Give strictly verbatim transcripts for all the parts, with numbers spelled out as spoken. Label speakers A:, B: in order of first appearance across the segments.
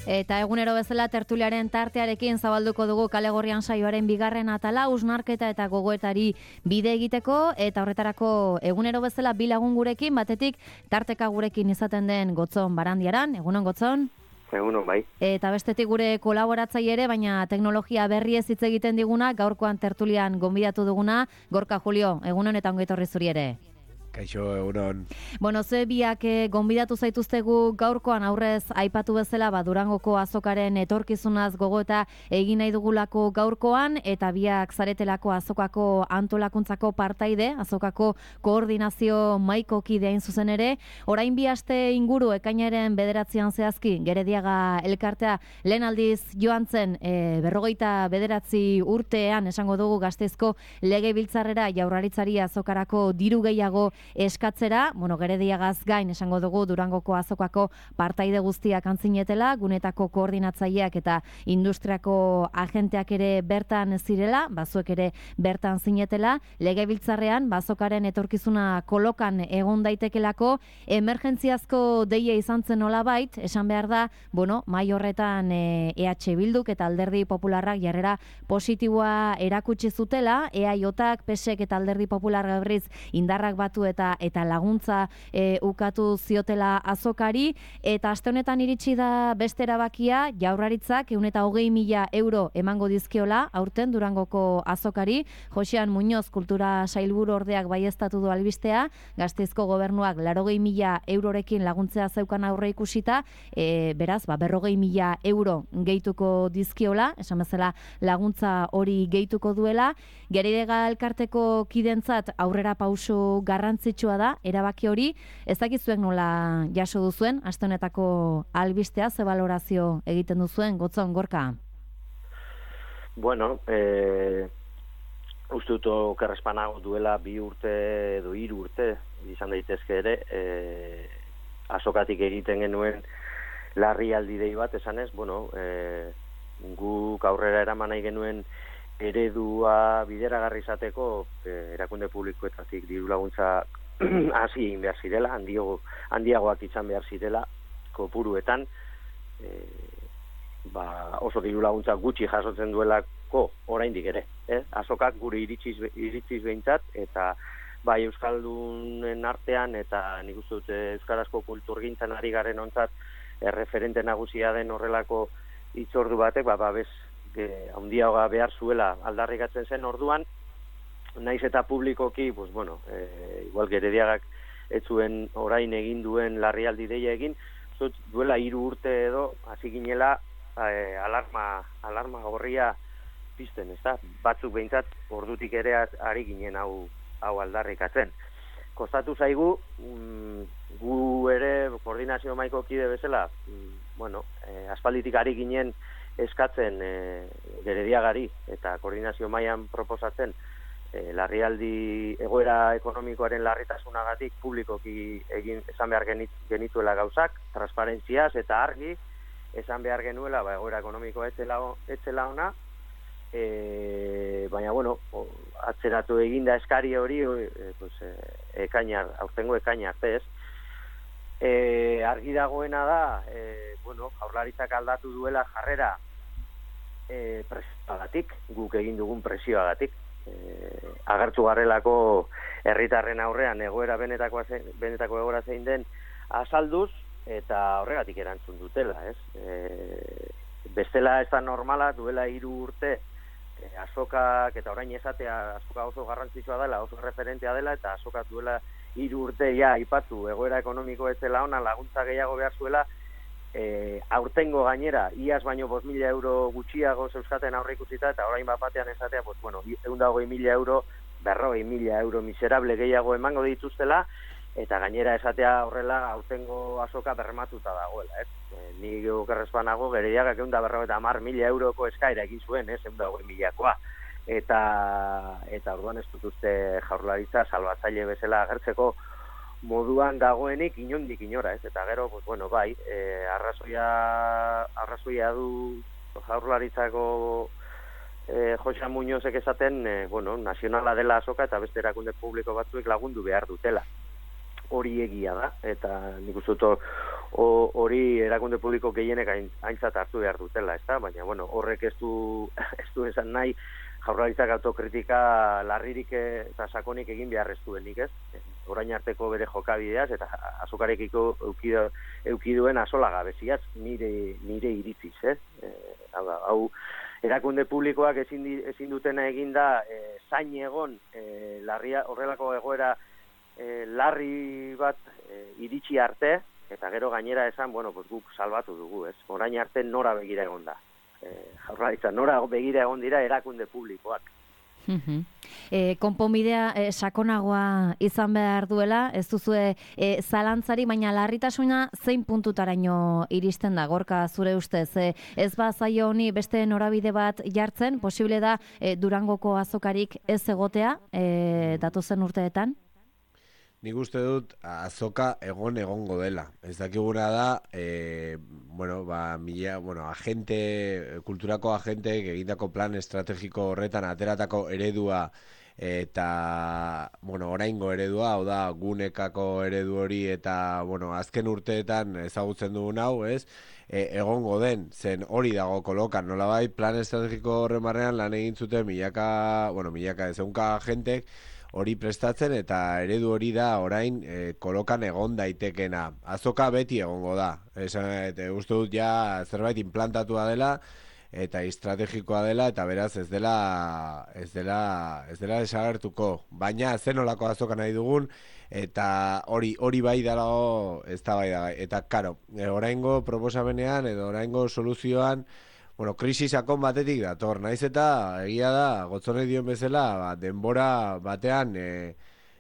A: Eta egunero bezala tertuliaren tartearekin zabalduko dugu Kale Gorrian saioaren bigarren atala, hausnarketa eta gogoetari bide egiteko, eta horretarako egunero bezala bi lagun gurekin, batetik tarteka gurekin izaten den Gotzon Barandiaran. Egunon, Gotzon?
B: Egunon, bai.
A: Eta bestetik gure kolaboratzaile ere, baina teknologia berriez hitz egiten diguna, gaurkoan tertulian gonbidatu duguna, Gorka Julio. Egunon eta ongi etorri zuri ere.
C: Kaixo, egunon.
A: Bueno, ze biak eh, gonbidatu zaituztegu gaurkoan aurrez aipatu bezala, ba, Durangoko azokaren etorkizunaz gogoeta egin nahi dugulako gaurkoan, eta biak zaretelako azokako antolakuntzako partaide, azokako koordinazio mahaiko kide hain zuzen ere. Orain bi aste inguru ekainaren bederatzian zehazki, Gerediaga elkartea lehen aldiz joan zen e, berrogeita bederatzi urtean esango dugu Gasteizko legebiltzarrera Jaurlaritzari azokarako diru gehiago eskatzera, bueno, Gerediagaz gain esango dugu Durangoko azokako partaide guztiak antzinetela, gunetako koordinatzaileak eta industriako agenteak ere bertan zirela, bazuek ere bertan zinetela, legebiltzarrean bazokaren etorkizuna kolokan egon daitekelako, emergentziazko deia izan zen nolabait, esan behar da, bueno, mai horretan e, E H Bilduk eta Alderdi Popularrak jarrera positiboa erakutsi zutela, E A J-ak, P S E K eta Alderdi Popular berriz indarrak batu eta eta laguntza e, ukatu ziotela azokari, eta aste honetan iritsi da beste erabakia, Jaurlaritzak ehun eta hogei mila euro emango dizkiola aurten Durangoko azokari. Josean Muñoz kultura sailburu ordeak baieztatu du albistea, Gasteizko gobernuak laurogei mila eurorekin laguntzea zeukan aurre ikusita, e, beraz, ba, berrogei mila euro gehituko dizkiola, esan bezala laguntza hori gehituko duela. Gerediaga elkarteko kidentzat aurrera pauso garrantzitsua da, erabaki hori, ez dakizuek nola jaso duzuen, aste honetako albistea, ze balorazio egiten duzuen, Gotzon, Gorka?
B: Bueno, eh, uste dut okerrespanago duela bi urte edo hiru urte, izan daitezke ere, eh, azokatik egiten genuen larrialdi dei bat, esanez, bueno, eh, guk aurrera eraman nahi genuen eredua bideragarri izateko eh, erakunde publikoetatik diru laguntza hasi egin behar zirela, handiago, handiagoak izan behar zirela kopuruetan, eh, ba, oso diru laguntza gutxi jasotzen duelako oraindik ere, eh? Azokak gure iritziz, iritziz behintzat, eta bai euskaldunen artean eta nik uste dut euskarazko kulturgintzan ari garen ontzat erreferente nagusia den horrelako hitzordu batek, ba, babes handiagoa behar zuela aldarrikatzen zen orduan, naiz eta publikoki, pues bueno, e, igual Gerediagak ez zuen orain egin duen larrialdi deia egin, zut, duela hiru urte edo hasi ginela e, alarma, alarma gorria pizten, ezta? Batzuk behintzat ordutik ere ari ginen hau, hau aldarrikatzen. Kostatu zaigu, mm, gu ere koordinazio mahaiko kide bezala, mm, bueno, e, aspalditik ari ginen eskatzen e, Gerediagari eta koordinazio mailan proposatzen e, larrialdi egoera ekonomikoaren larritasunagatik publikoki egin esan behar genituela gauzak, transparentziaz eta argi esan behar genuela, ba, egoera ekonomikoa etzela, etzela ona, e, baina, bueno, o, atzeratu eginda eskari hori, e, pues, e, ekainar, aurtengo ekainar, ez? E, argi dagoena da, e, bueno, Jaurlaritzak aldatu duela jarrera e, presioagatik, guk egin dugun presioagatik. E, agertu garrelako herritarren aurrean egoera benetako, benetako egoera zein den azalduz, eta horregatik erantzun dutela, ez? E, bestela ez da normala, duela hiru urte, e, azokak, eta orain esatea azoka oso garrantzitsua dela, oso referentea dela, eta azokak duela hiru urte ja aipatu egoera ekonomiko ez dela ona, laguntza gehiago behar zuela, e, aurtengo gainera, iaz baino bost mila euro gutxiago zeuskaten aurre ikusita, eta orain bat batean esatea, pues, bueno, ehun eta hogei mila euro, berrogei mila euro miserable gehiago emango dituztela, eta gainera esatea horrela aurtengo azoka bermatuta dagoela, ez? E, ni okerrespanago Gerediagak ehun eta berrogeita hamar mila euroko eskaera egin zuen, ez? ehun eta hogei milakoa. Eta eta orduan ez dut uste Jaurlaritza salbatzaile bezala agertzeko moduan dagoenik inondik inora, ez? Eta gero, pues bueno, bai, e, arrazoia arrazoia du Jaurlaritzako e, Jose Muñozek esaten, e, bueno, nazionala dela azoka eta beste erakunde publiko batzuek lagundu behar dutela. Hori egia da, eta nik uste dut hori erakunde publiko gehienek aintzat hartu behar dutela, ezta? Baina, bueno, horrek ez du, ez du esan nahi, Jaurlaritzak autokritika larririk eta sakonik egin behar ez duenik, ez? Orain arteko bere jokabideaz eta azokarekiko eukiduen asola gabeziaz nire, nire iritziz, ez? E, hau, hau erakunde publikoak ezin, ezin dutena eginda e, zain egon e, larria, horrelako egoera e, larri bat e, iritsi arte, eta gero gainera esan, bueno, pues guk salbatu dugu, ez? Orain arte nora begira egon da. Eh, Jaurlaritza, nora begira egon dira erakunde publikoak.
A: Uh-huh. E, konponbidea e, sakonagoa izan behar duela, ez duzue e, zalantzari, baina larritasuna zein puntutaraino iristen da, Gorka, zure ustez? E, ez ba zaio honi beste norabide bat jartzen, posible da e, Durangoko azokarik ez egotea e, datozen urteetan?
C: Nik uste dut azoka egon egongo dela. Ez dakiguna da, e, bueno, ba, mila, bueno, agente, kulturako agenteek egindako plan estrategiko horretan ateratako eredua eta, bueno, oraingo eredua, hau da, gunekako eredu hori eta, bueno, azken urteetan ezagutzen dugun hau, ez? E, egongo den, zen hori dago kolokan, nolabait, plan estrategiko horren barrean lan egin zuten milaka, bueno, milaka ezeunka agentek, hori prestatzen eta eredu hori da orain e, kolokan egon daitekena. Azoka beti egongo da. Esan, eta uste dut ja zerbait implantatua dela eta estrategikoa dela eta beraz ez dela ez dela ez dela desagertuko. Baina zenolako azoka nahi dugun eta hori hori bai dago eztabaida gai. Eta karo, e, oraingo proposamenean edo oraingo soluzioan bueno, krisi sakon batetik dator, naiz eta egia da, Gotzonek dion bezala, ba, denbora batean, e,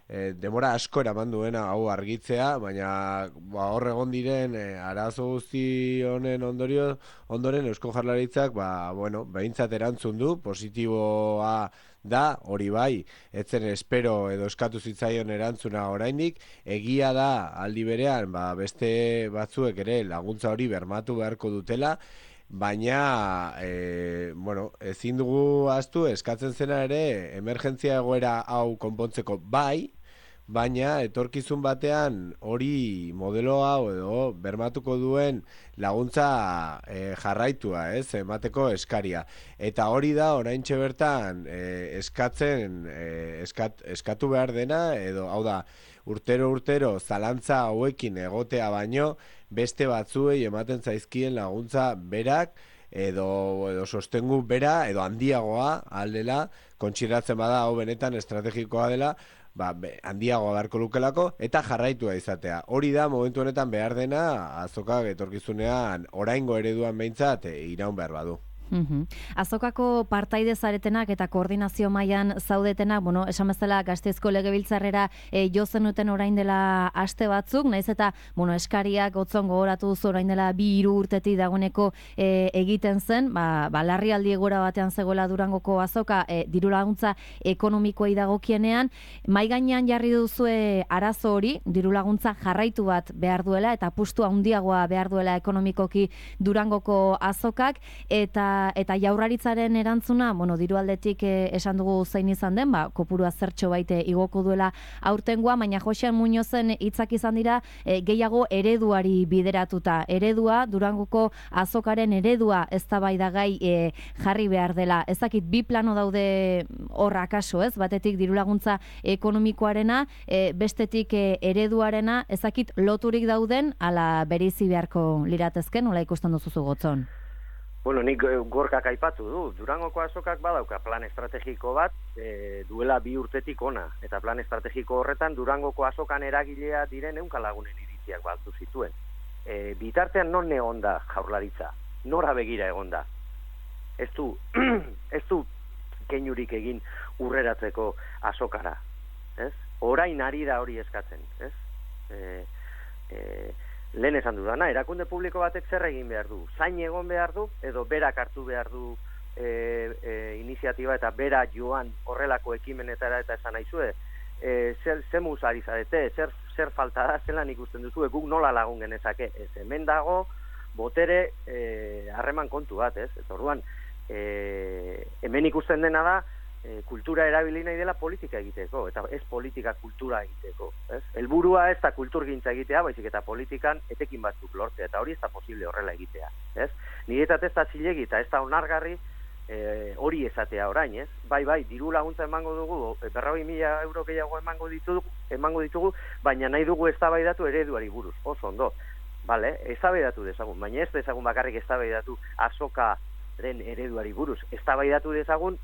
C: e, denbora asko eraman duena hau argitzea, baina ba, hor egon diren e, arazo guzti honen ondorio, ondoren Eusko Jaurlaritzak, ba, bueno, behintzat erantzun du, positiboa da, hori bai, etzen espero edo eskatu zitzaion erantzuna oraindik, egia da aldi berean, ba, beste batzuek ere laguntza hori bermatu beharko dutela, baina, e, bueno, ezin dugu ahaztu eskatzen zena ere emergentzia egoera hau konpontzeko bai, baina etorkizun batean hori modelo hau edo bermatuko duen laguntza e, jarraitua, ez, emateko eskaria. Eta hori da oraintxe bertan e, eskatzen e, eskat, eskatu behar dena, edo hau da, urtero-urtero zalantza hauekin egotea baino, beste batzuei ematen zaizkien laguntza berak, edo, edo sostengu bera, edo handiagoa aldela, kontsideratzen bada hau benetan estrategikoa dela, ba, be, handiagoa beharko lukelako, eta jarraitua izatea. Hori da momentu honetan behar dena azokak etorkizunean oraingo ereduan behintzat e, iraun behar badu.
A: Uhum. Azokako partaide zaretenak eta koordinazio mailan zaudetenak, bueno, esan bezala Gasteizko Legebiltzarrera e, jo zenuten orain dela aste batzuk, naiz eta, bueno, eskariak Gotzon gogoratu duzu orain dela bi hiru urtetik dagoeneko e, egiten zen, ba, ba larrialdi egoera batean zegoela Durangoko azoka e, diru laguntza ekonomikoei dagokienean, mai gainean jarri duzue arazo hori, diru laguntza jarraitu bat behar duela eta apustu handiagoa behar duela ekonomikoki Durangoko azokak, eta eta Jaurlaritzaren erantzuna, bueno, diru aldetik eh, esan dugu zein izan den, ba, kopurua zertxo baite igoko duela aurtengoa, baina Josean Muñozen hitzak izan dira eh, gehiago ereduari bideratuta. Eredua, Durangoko azokaren eredua eztabaidagai eh, jarri behar dela. Ezakit bi plano daude horra kaso, ez? Batetik diru laguntza ekonomikoarena, eh, bestetik eh, ereduarena, ezakit loturik dauden, ala bereizi beharko liratezken, nola ikusten duzu Gotzon?
B: Bueno, nik Gorkak aipatu du. Durangoko azokak badauka plan estrategiko bat e, duela bi urtetik ona. Eta plan estrategiko horretan Durangoko azokan eragilea diren ehunka lagunen iritziak baltu zituen. E, bitartean non egon da Jaurlaritza? Nora begira egon da? Ez du, ez du keinurik egin urreratzeko azokara. Ez? Orain ari da hori eskatzen. Ez? E, e, Lehen esan dudana, erakunde publiko batek zer egin behar du? Zain egon behar du, edo berak hartu behar du e, e, iniziatiba eta bera joan horrelako ekimenetara eta esan naizue, e, zer zemuz ari zarete, zer, zer falta da, zelan ikusten duzu, guk nola lagun genezake, ez hemen dago, botere harreman e, kontu bat, ez? Eta orduan, e, hemen ikusten dena da, e, kultura erabili nahi dela politika egiteko, eta ez politika kultura egiteko. Ez? Helburua ez da kulturgintza egitea, baizik eta politikan etekin batzuk lortzea, eta hori ez da posible horrela egitea. Ez? Niretzat ez da zilegi eta ez da onargarri e, hori esatea orain, ez? Bai, bai, diru laguntza emango dugu, berrogei mila euro gehiago emango ditugu, emango ditugu, baina nahi dugu eztabaidatu ereduari buruz, oso ondo. Vale, eztabaidatu dezagun, baina ez dezagun bakarrik eztabaidatu azokaren ereduari buruz, eztabaidatu dezagun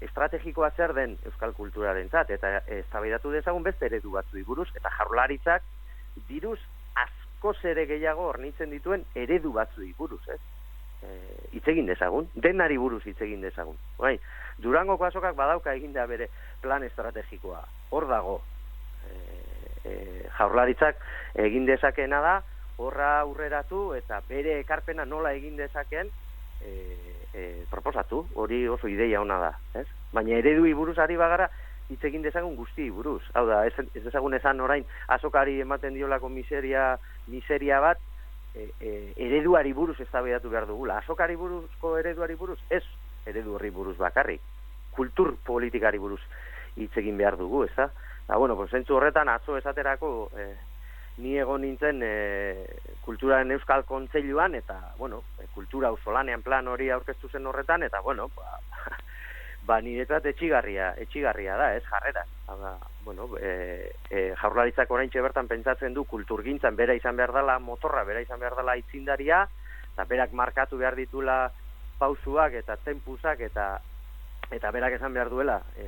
B: estrategikoa zer den euskal kulturarentzat, eta eztabaidatu dezagun beste eredu batzui buruz, eta Jaurlaritzak diruz askoz ere gehiago hornitzen dituen eredu batzui buruz, ez? Hitz egin dezagun, denari buruz hitz egin dezagun. Bai, Durangoko azokak badauka eginda bere plan estrategikoa, hor dago. E, e, Jaurlaritzak egin dezakeena da, horra aurreratu eta bere ekarpena nola egin dezakeen e, e, proposatu, hori oso ideia ona da, ez? Baina eredui buruz ari bagara hitz egin dezagun guzti buruz. Hau da, ez, ez dezagun esan orain azokari ematen diolako miseria, miseria bat, e, e, ereduari buruz eztabaidatu behar dugula. Azokari buruzko ereduari buruz, ez eredu horri buruz bakarrik. Kultur politikari buruz hitz egin behar dugu, ez da? Da, bueno, pues, zentzu horretan atzo esaterako e, ni egon nintzen e, kulturaren euskal kontseiluan, eta, bueno, e, kultura auzolanean plan hori aurkeztu zen horretan, eta, bueno, ba, ba niretzat etxigarria, etxigarria da, ez, jarrera. Ba, bueno, e, e, Jaurlaritzak oraintxe bertan pentsatzen du kulturgintzan bera izan behar dela motorra, bera izan behar dela aitzindaria, eta berak markatu behar ditula pausuak eta tempusak, eta eta berak esan behar duela e,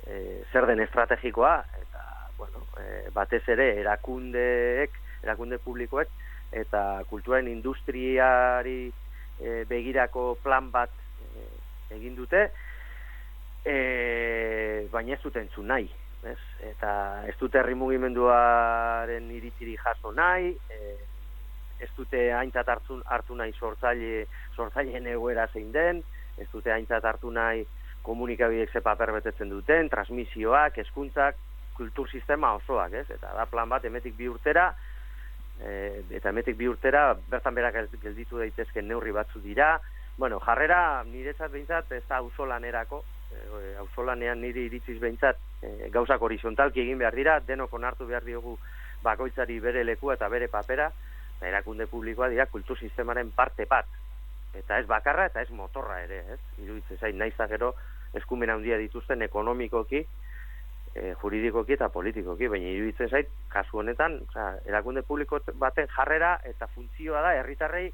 B: e, zer den estrategikoa, eta bueno, e, batez ere erakundeek, erakunde publikoek eta kulturaren industriari e, begirako plan bat e, egin dute, e, baina ez dute entzun nahi, ez? Eta ez dute herri mugimenduaren iritziri jaso nahi, e, ez dute aintzat hartu, hartu nahi sortzaile, sortzaileen egoera zein den, ez dute aintzat hartu nahi komunikabideek ze paper betetzen duten, transmisioak, hezkuntzak, kultur sistema osoak, ez? Eta da plan bat emetik bi urtera, e, eta emetik bi urtera bertan berak gelditu daitezken neurri batzu dira. Bueno, jarrera niretzat behintzat ez da auzolanerako, e, auzolanean niri iritziz behintzat e, gauzak horizontalki egin behar dira, denok onartu behar diogu bakoitzari bere lekua eta bere papera, eta erakunde publikoa dira kultur sistemaren parte bat. Eta ez bakarra eta ez motorra ere, ez? Iruditzen zait, naiz eta gero eskumen handia dituzten ekonomikoki, e, juridikoki eta politikoki, baina iruditzen zait, kasu honetan, oza, erakunde publiko baten jarrera eta funtzioa da herritarrei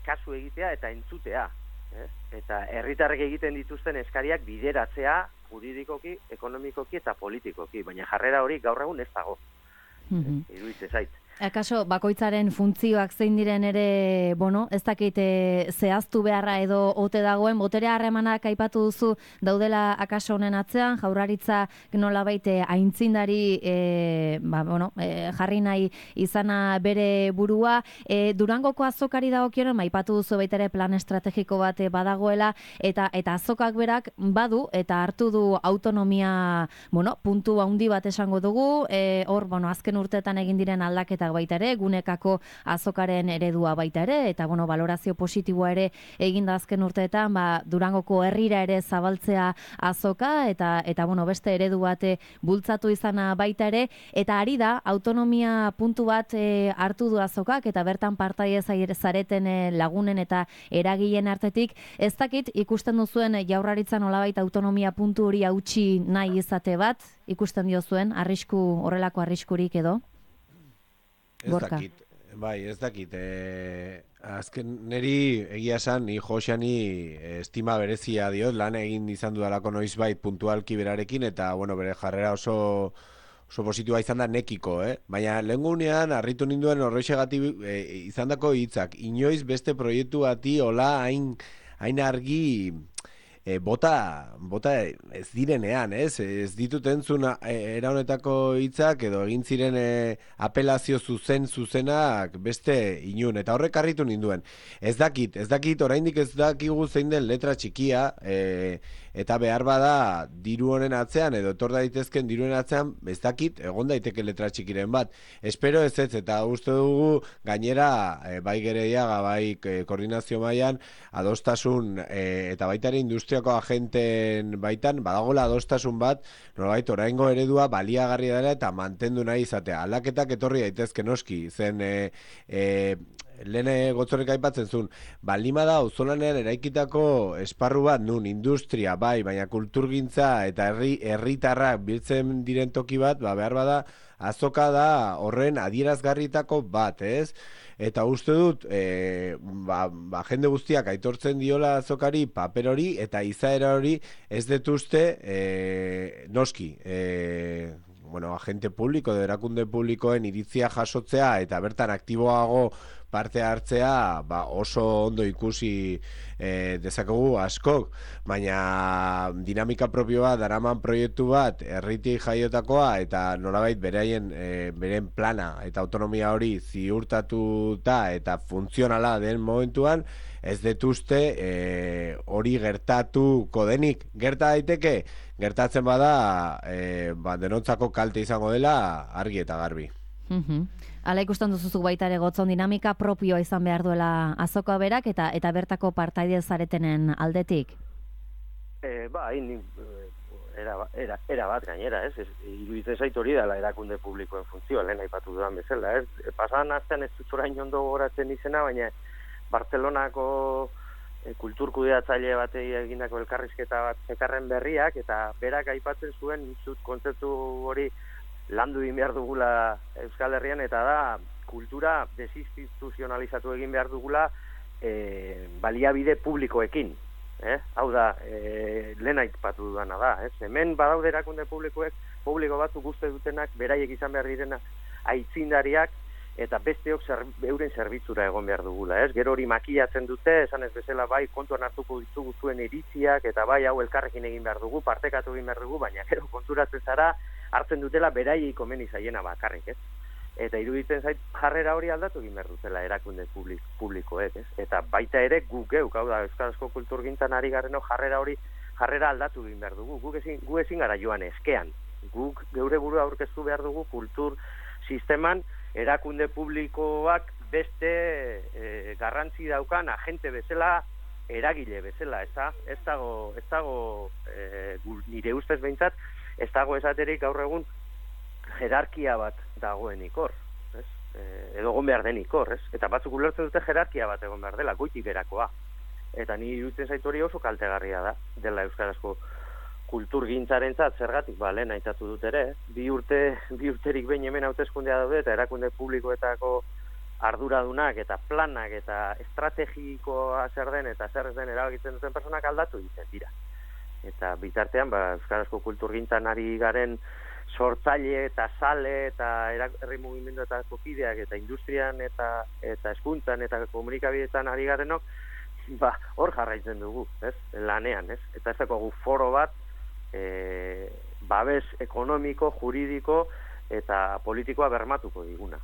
B: kasu egitea eta entzutea. Ez? Eta herritarrek egiten dituzten eskariak bideratzea juridikoki, ekonomikoki eta politikoki, baina jarrera hori gaur egun ez dago. Mm-hmm. Iruditzen zait.
A: Akaso, bakoitzaren funtzioak zein diren ere, bueno, ez dakite zehaztu beharra edo ote dagoen, botere harremanak aipatu duzu daudela akaso honen atzean, Jaurlaritza nolabait aintzindari e, ba, bueno, e, jarri nahi izana bere burua. E, Durangoko azokari dagokionen, aipatu duzu baita ere plan estrategiko bat badagoela, eta eta azokak berak badu eta hartu du autonomia, bueno, puntu handi bat esango dugu, e, hor, bueno, azken urteetan egin diren aldaketa baita ere, gunekako azokaren eredua baita ere, eta bueno, valorazio positiboa ere eginda azken urteetan, ba, Durangoko herrira ere zabaltzea azoka, eta eta bueno, beste eredu bate bultzatu izana baita ere, eta ari da, autonomia puntu bat e, hartu du azokak, eta bertan partaide zareten e, lagunen eta eragileen artetik, ez dakit ikusten duzuen Jaurlaritza nolabait autonomia puntu hori hautsi nahi izate bat, ikusten diozuen, arrisku, horrelako arriskurik edo?
C: Ez dakit, bai, ez dakit. E, azken neri egia esan, ni Josani estima berezia diot, lan egin izan dudalako noizbait puntualki berarekin, eta bueno, bere jarrera oso oso positua izan da nekiko, eh? Baina lehengunean harritu ninduen horrexegatik e, izandako hitzak. Inoiz beste proiektu bati hola hain, hain argi E, bota, bota ez direnean, ez? Ez ditut entzun era honetako hitzak edo egin ziren e, apelazio zuzen zuzenak beste inun, eta horrek harritu ninduen. Ez dakit, ez dakit, oraindik ez dakigu zein den letra txikia, e, eta behar bada diru honen atzean, edo etor daitezken diruen atzean, ez dakit, egon daiteke letra txikiren bat. Espero ez ez, eta uste dugu gainera, e, bai Gereiaga, bai e, koordinazio mailan adostasun e, eta baita ere industria industriako agenten baitan, badagola adostasun bat, nolabait oraingo eredua baliagarria dela eta mantendu nahi izatea. Aldaketak etorri daitezke noski, zen e, e, lehen gotzorrek aipatzen zuen, balima da auzolanean eraikitako esparru bat nun industria bai, baina kulturgintza eta herri herritarrak biltzen diren toki bat, ba behar bada azoka da horren adierazgarritako bat, ez? Eta uste dut, e, ba, ba, jende guztiak aitortzen diola azokari paper hori eta izaera hori ez detuzte e, noski, e, bueno, agente publiko, erakunde publikoen iritzia jasotzea eta bertan aktiboago parte hartzea ba, oso ondo ikusi e, dezakegu askok, baina dinamika propioa daraman proiektu bat herritik jaiotakoa eta nolabait beraien e, beren plana eta autonomia hori ziurtatuta eta funtzionala den momentuan ez detuzte e, hori gertatuko denik. Gerta daiteke, gertatzen bada e, ba, denontzako kalte izango dela argi eta garbi.
A: Mm-hmm. Hala ikusten duzuzu baita ere gotzon dinamika propioa izan behar duela azoka berak eta eta bertako partaide zaretenen aldetik?
B: E, ba, hain, era, era, era bat gainera, ez? ez iruditzen zait hori dela erakunde publikoen funtzioa, lehen aipatu dudan bezala, ez? Pasan astean ez dut orain ondo gogoratzen izena, baina Bartzelonako e, kulturkudeatzaile batei egindako elkarrizketa bat zekarren berriak, eta berak aipatzen zuen zut kontzeptu hori landu egin behar dugula Euskal Herrian, eta da kultura desinstituzionalizatu egin behar dugula e, baliabide publikoekin. Eh? Hau da, e, lehen aipatu dudana da. Ez? Hemen badaude erakunde publikoek, publiko batzuk uste dutenak, beraiek izan behar direna aitzindariak, eta besteok zer, euren zerbitzura egon behar dugula. Ez? Gero hori makiatzen dute, esan ez bezala bai kontuan hartuko ditugu zuen iritziak, eta bai hau elkarrekin egin behar dugu, partekatu egin behar dugu, baina gero konturatzen zara, hartzen dutela beraiei komeni zaiena bakarrik, ez? Eta iruditzen zait jarrera hori aldatu egin behar dutela erakunde publik, publikoek, ez? Eta baita ere guk geuk, hau da, euskarazko kulturgintzan ari gareno jarrera hori, jarrera aldatu egin behar dugu. Guk ezin, gu ezin gara joan eskean. Guk geure burua aurkeztu behar dugu kultur sisteman erakunde publikoak beste e, garrantzi daukan agente bezala, eragile bezala, ez da? Ez dago, ez dago e, nire ustez behintzat, ez dago esaterik gaur egun jerarkia bat dagoenik hor, ez? E, edo egon behar denik hor, ez? Eta batzuk ulertzen dute jerarkia bat egon behar dela, goitik berakoa. Eta ni iruditzen zaitu hori oso kaltegarria da, dela euskarazko kulturgintzarentzat zergatik, ba, lehen aitatu dut ere, bi urte, bi urterik behin hemen hauteskundea daude, eta erakunde publikoetako arduradunak eta planak eta estrategikoa zer den eta zer ez den erabakitzen duten personak aldatu egiten dira. Eta bitartean, ba, euskarazko kulturgintzan ari garen sortzaile eta sale eta herri mugimendu eta kokideak eta industrian eta eta hezkuntzan eta komunikabideetan ari garenok, ba, hor jarraitzen dugu, ez? Lanean, ez? Eta ez dago foro bat e, babes ekonomiko, juridiko eta politikoa bermatuko diguna.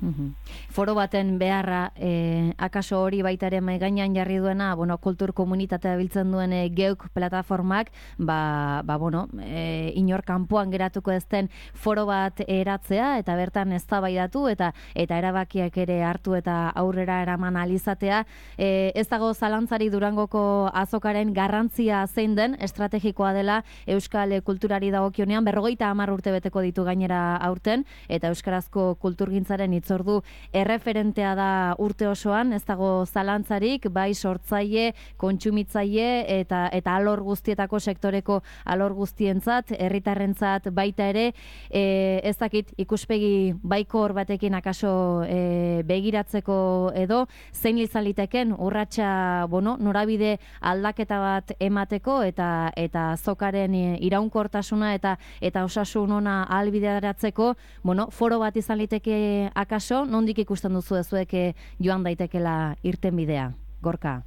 A: Uhum. Foro baten beharra, eh, akaso hori baita ere mahai gainean jarri duena, bueno, kultur komunitatea biltzen duen e, geuk plataformak, ba, ba bueno, e, inor kanpoan geratuko ez den foro bat eratzea eta bertan eztabaidatu eta eta erabakiak ere hartu eta aurrera eraman alizatea. E, ez dago zalantzari Durangoko azokaren garrantzia zein den, estrategikoa dela euskal kulturari dagokionean, berrogeita hamar urte beteko ditu gainera aurten, eta euskarazko kulturgintzaren ordu erreferentea da urte osoan, ez dago zalantzarik, bai sortzaile, kontsumitzaile eta eta alor guztietako sektoreko alor guztientzat, herritarrentzat baita ere, e, ez dakit ikuspegi baikor batekin akaso e, begiratzeko edo zein izan liteken urratsa, bueno, norabide aldaketa bat emateko eta eta azokaren iraunkortasuna eta eta osasun ona ahalbideratzeko, bueno, foro bat izan liteke akaso, nondik ikusten duzu ezuek joan daitekela irtenbidea, Gorka?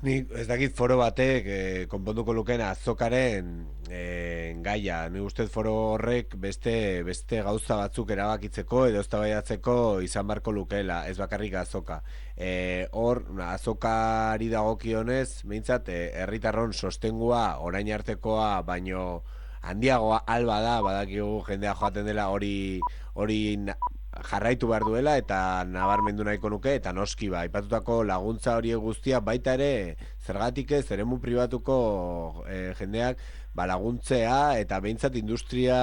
C: Ni ez dakit foro batek eh, konponduko lukeen azokaren eh, gaia. Ni ustez foro horrek beste beste gauza batzuk erabakitzeko edo eztabaidatzeko izan beharko lukeela, ez bakarrik azoka. Eh, hor, azokari dagokionez, behintzat, herritarron eh, sostengua orain artekoa baino handiagoa alba da, badakigu jendea joaten dela hori hori jarraitu behar duela eta nabarmendu nahiko nuke, eta noski ba, aipatutako laguntza horiek guztia baita ere zergatik ez eremu pribatuko e, jendeak ba, laguntzea eta behintzat industria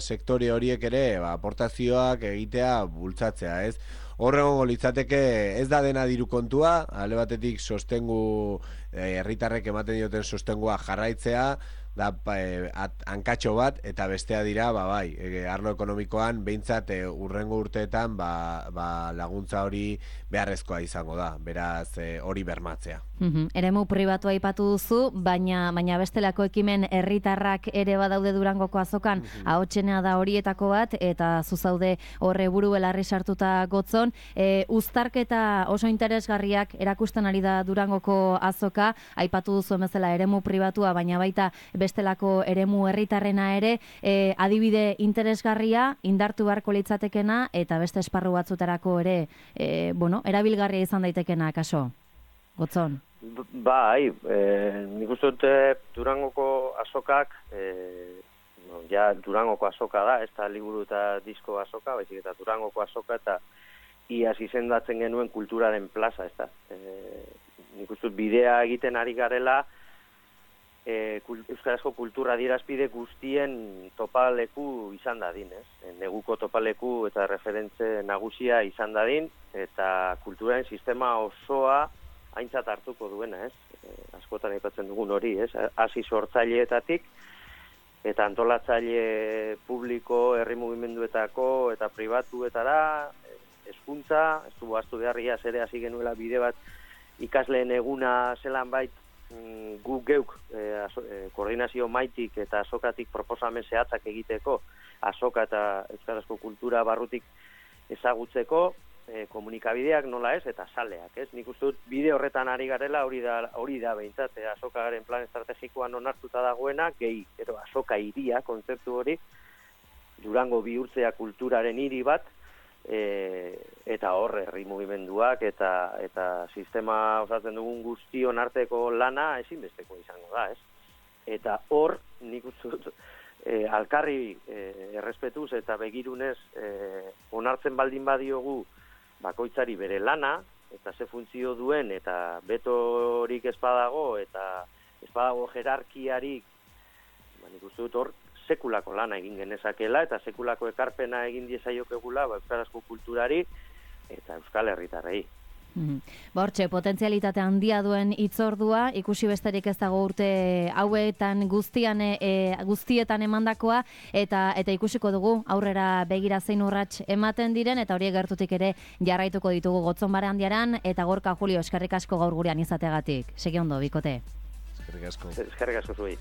C: sektore horiek ere ba, aportazioak egitea bultzatzea, ez? Horregongo litzateke ez da dena diru kontua, alde batetik sostengu herritarrek ematen dioten sostengua jarraitzea, da e, at, hankatxo bat, eta bestea dira, ba, bai, e, arlo ekonomikoan behintzat e, urrengo urteetan ba, ba, laguntza hori beharrezkoa izango da, beraz e, hori bermatzea.
A: Mm-hmm. Eremu pribatua aipatu duzu, baina baina bestelako ekimen herritarrak ere badaude Durangoko azokan, mm-hmm. ahotsenea da horietako bat, eta zuzaude horre buru belarri sartuta gotzon. E, uztarketa oso interesgarriak erakusten ari da Durangoko azoka, aipatu duzu bezala eremu pribatua, baina baita bestelako eremu herritarrena ere, e, adibide interesgarria, indartu beharko litzatekena, eta beste esparru batzutarako ere, e, bueno, erabilgarria izan daitekena, kaso? Gotzon?
B: Bai, e, nik uste dut Durangoko azokak, e, no, ja Durangoko azoka da, ez da liburu eta disko azoka, baizik eta Durangoko azoka, eta iaz izendatzen genuen kulturaren plaza, ez da. E, nik uste dut bidea egiten ari garela, E, euskarazko kultura adierazpide guztien topaleku izan dadin, ez? E, neguko topaleku eta referentze nagusia izan dadin, eta kulturaren sistema osoa aintzat hartuko duena, ez? E, askotan aipatzen dugun hori, ez? Hasi sortzaileetatik, eta antolatzaile publiko, herri mugimenduetako eta pribatuetara, hezkuntza, ez du ahaztu beharria ere hasi genuela bide bat ikasleen eguna zelan bait, gu geuk eh, aso, eh, koordinazio maitik eta azokatik proposamen zehatzak egiteko, azoka eta euskarazko kultura barrutik ezagutzeko, eh, komunikabideak nola ez, eta saleak, ez? Nik uste dut bide horretan ari garela, hori da, hori da behintzat, eh, azokaren plan estrategikoan onartuta dagoena, gehi, ero azoka hiria, kontzeptu hori, Durango bihurtzea kulturaren hiri bat, E, eta hor herri mugimenduak eta eta sistema osatzen dugun guztion arteko lana ezinbesteko izango da, ez? Eta hor nik uste dut e, alkarri e, errespetuz eta begirunez e, onartzen baldin badiogu bakoitzari bere lana eta ze funtzio duen eta betorik ez badago eta ez badago jerarkiarik, ba, nik uste dut hor sekulako lana egin genezakela eta sekulako ekarpena egin diezaiokegula ba, euskarazko kulturari eta euskal herritarrei.
A: Mm-hmm. Ba, hortxe, potentzialitate handia duen hitzordua, ikusi besterik ez dago urte hauetan guztian, e, guztietan emandakoa, eta eta ikusiko dugu aurrera begira zein urrats ematen diren, eta horiek gertutik ere jarraituko ditugu Gotzon Barandiaran, eta Gorka Julio, eskerrik asko gaur gurean izateagatik. Segi ondo, bikote.
C: Eskerrik asko.
B: Eskerrik asko zuei.